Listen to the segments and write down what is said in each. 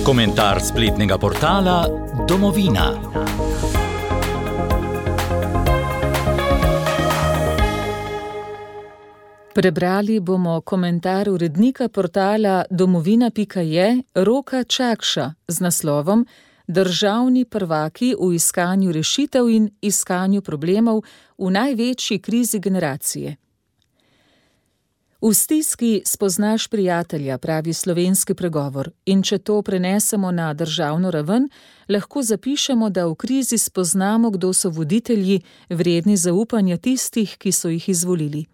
Komentar spletnega portala Domovina. Prebrali bomo komentar urednika portala domovina.je Roka Čakša z naslovom Državni prvaki v iskanju rešitev in iskanju problemov v največji krizi generacije. V stiski spoznaš prijatelja, pravi slovenski pregovor, in če to prenesemo na državno raven, lahko zapišemo, da v krizi spoznamo, kdo so voditelji, vredni zaupanja tistih, ki so jih izvolili.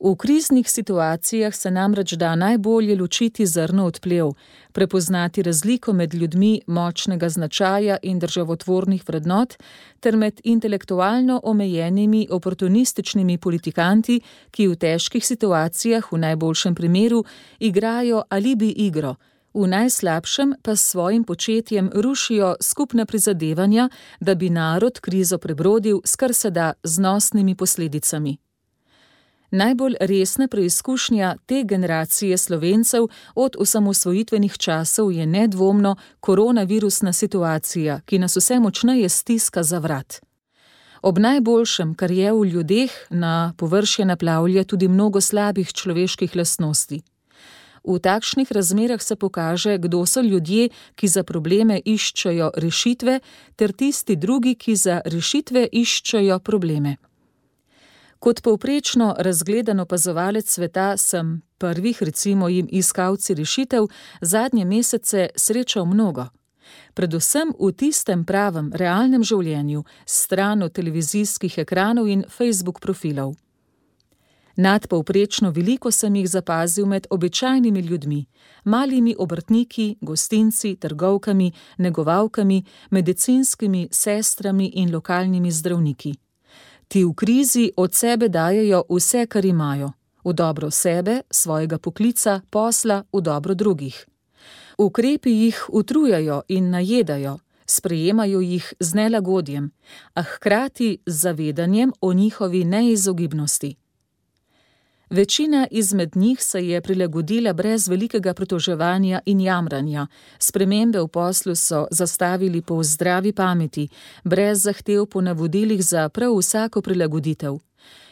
V kriznih situacijah se namreč da najbolje ločiti zrno od plev, prepoznati razliko med ljudmi močnega značaja in državotvornih vrednot ter med intelektualno omejenimi oportunističnimi politikanti, ki v težkih situacijah v najboljšem primeru igrajo alibi igro, v najslabšem pa s svojim početjem rušijo skupna prizadevanja, da bi narod krizo prebrodil s kar se da znosnimi posledicami. Najbolj resna preizkušnja te generacije Slovencev od osamosvojitvenih časov je nedvomno koronavirusna situacija, ki nas vse močneje stiska za vrat. Ob najboljšem, kar je v ljudeh, na površje naplavlja tudi mnogo slabih človeških lastnosti. V takšnih razmerah se pokaže, kdo so ljudje, ki za probleme iščejo rešitve, ter tisti drugi, ki za rešitve iščejo probleme. Kot povprečno razgledan opazovalec sveta sem prvih, recimo jim iskalci rešitev, zadnje mesece srečal mnogo. Predvsem v tistem pravem, realnem življenju, stran od televizijskih ekranov in Facebook profilov. Nadpovprečno veliko sem jih zapazil med običajnimi ljudmi, malimi obrtniki, gostinci, trgovkami, negovalkami, medicinskimi sestrami in lokalnimi zdravniki. Ti v krizi od sebe dajejo vse, kar imajo, v dobro sebe, svojega poklica, posla, v dobro drugih. Ukrepi jih utrujajo in najedajo, sprejemajo jih z nelagodjem, a hkrati z zavedanjem o njihovi neizogibnosti. Večina izmed njih se je prilagodila brez velikega pritoževanja in jamranja, spremembe v poslu so zastavili po zdravi pameti, brez zahtev po navodilih za prav vsako prilagoditev.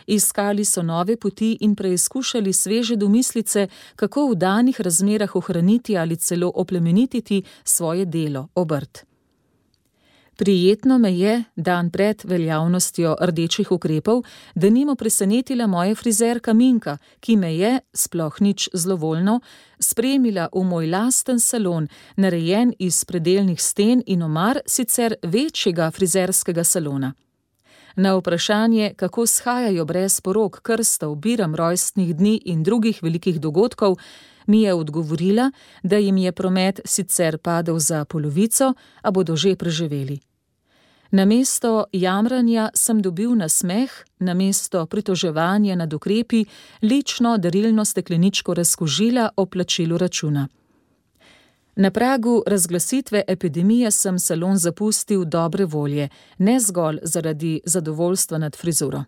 Iskali so nove poti in preizkušali sveže domislice, kako v danih razmerah ohraniti ali celo oplemenititi svoje delo, obrt. Prijetno me je, dan pred veljavnostjo rdečih ukrepov, denimo presenetila moja frizerka Minka, ki me je, sploh nič zlovoljno, spremila v moj lasten salon, narejen iz predelnih sten in omar sicer večjega frizerskega salona. Na vprašanje, kako shajajo brez porok, krstov, biram rojstnih dni in drugih velikih dogodkov, mi je odgovorila, da jim je promet sicer padel za polovico, a bodo že preživeli. Namesto jamranja sem dobil nasmeh, namesto pritoževanja nad ukrepi lično darilno stekleničko razkužila o plačilu računa. Na pragu razglasitve epidemije sem salon zapustil dobre volje, ne zgolj zaradi zadovoljstva nad frizuro.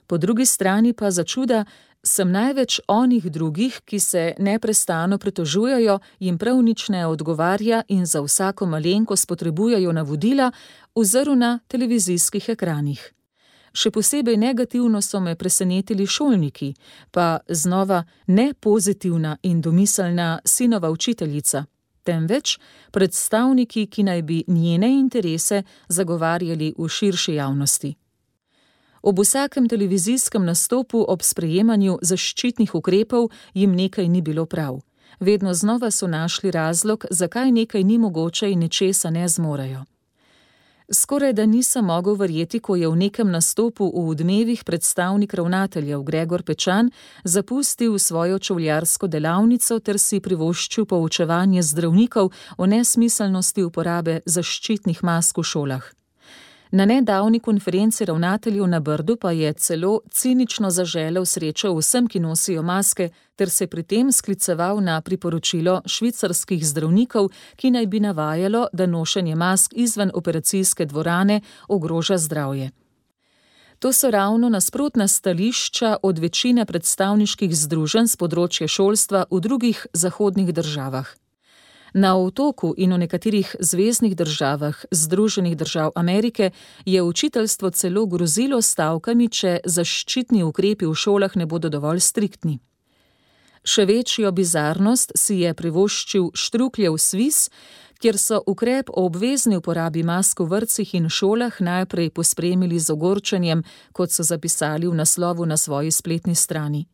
Po drugi strani pa začuda sem največ onih drugih, ki se neprestano pritožujejo, jim prav nič ne odgovarja in za vsako malenkost potrebujejo navodila, ozrl na televizijskih ekranih. Še posebej negativno so me presenetili šolniki, pa znova ne pozitivna in domiselna sinova učiteljica, temveč predstavniki, ki naj bi njene interese zagovarjali v širši javnosti. Ob vsakem televizijskem nastopu ob sprejemanju zaščitnih ukrepov jim nekaj ni bilo prav. Vedno znova so našli razlog, zakaj nekaj ni mogoče in nečesa ne zmorejo. Skoraj da nisem mogel verjeti, ko je v nekem nastopu v Odmevih predstavnik ravnateljev Gregor Pečan zapustil svojo čevljarsko delavnico ter si privoščil poučevanje zdravnikov o nesmiselnosti uporabe zaščitnih mask v šolah. Na nedavni konferenci ravnateljev na Brdu pa je celo cinično zaželel srečo vsem, ki nosijo maske, ter se pri tem skliceval na priporočilo švicarskih zdravnikov, ki naj bi navajalo, da nošenje mask izven operacijske dvorane ogroža zdravje. To so ravno nasprotna stališča od večine predstavniških združenj s področja šolstva v drugih zahodnih državah. Na Otoku in v nekaterih zveznih državah Združenih držav Amerike je učiteljstvo celo grozilo s stavkami, če zaščitni ukrepi v šolah ne bodo dovolj striktni. Še večjo bizarnost si je privoščil Štrukljev Sviz, kjer so ukrep o obvezni uporabi mask v vrtcih in šolah najprej pospremili z ogorčenjem, kot so zapisali v naslovu na svoji spletni strani.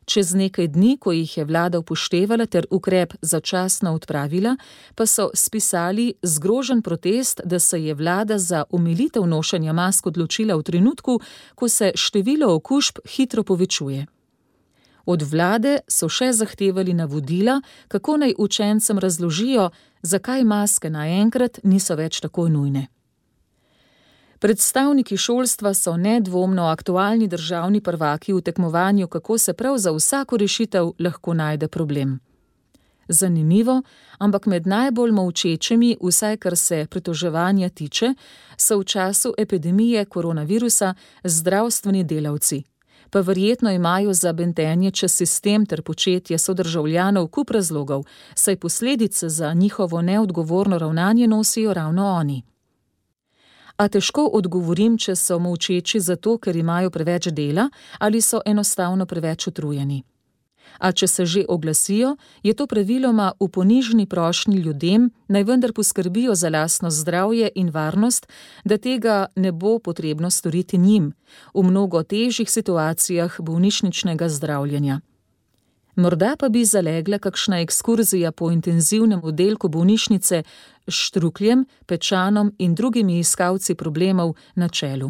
Čez nekaj dni, ko jih je vlada upoštevala ter ukrep začasno odpravila, pa so spisali zgrožen protest, da se je vlada za omilitev nošenja mask odločila v trenutku, ko se število okužb hitro povečuje. Od vlade so še zahtevali navodila, kako naj učencem razložijo, zakaj maske naenkrat niso več tako nujne. Predstavniki šolstva so nedvomno aktualni državni prvaki v tekmovanju, kako se prav za vsako rešitev lahko najde problem. Zanimivo, ampak med najbolj molčečimi, vsaj kar se pritoževanja tiče, so v času epidemije koronavirusa zdravstveni delavci. Pa verjetno imajo za bentenje čez sistem ter početje sodržavljanov kup razlogov, saj posledice za njihovo neodgovorno ravnanje nosijo ravno oni. A težko odgovorim, če so molčeči zato, ker imajo preveč dela ali so enostavno preveč utrujeni. A če se že oglasijo, je to praviloma v ponižni prošnji ljudem, naj vendar poskrbijo za lastno zdravje in varnost, da tega ne bo potrebno storiti njim v mnogo težjih situacijah bolnišničnega zdravljenja. Morda pa bi zalegla kakšna ekskurzija po intenzivnem oddelku bolnišnice s Štrukljem, Pečanom in drugimi iskalci problemov na čelu.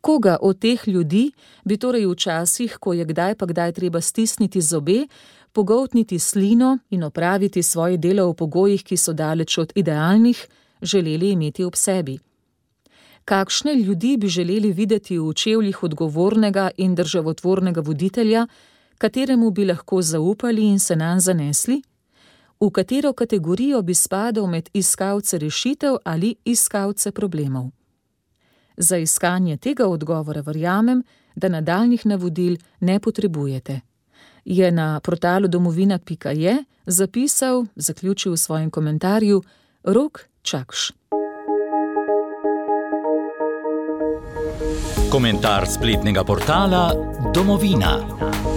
Koga od teh ljudi bi torej v časih, ko je kdaj pa kdaj treba stisniti zobe, pogoltniti slino in opraviti svoje delo v pogojih, ki so daleč od idealnih, želeli imeti ob sebi? Kakšne ljudi bi želeli videti v čevljih odgovornega in državotvornega voditelja, kateremu bi lahko zaupali in se nanj zanesli? V katero kategorijo bi spadal med iskalce rešitev ali iskalce problemov? Za iskanje tega odgovora verjamem, da nadaljnjih navodil ne potrebujete. Je na portalu domovina.je zapisal, zaključil v svojem komentarju, Rok Čakš. Komentar spletnega portala Domovina.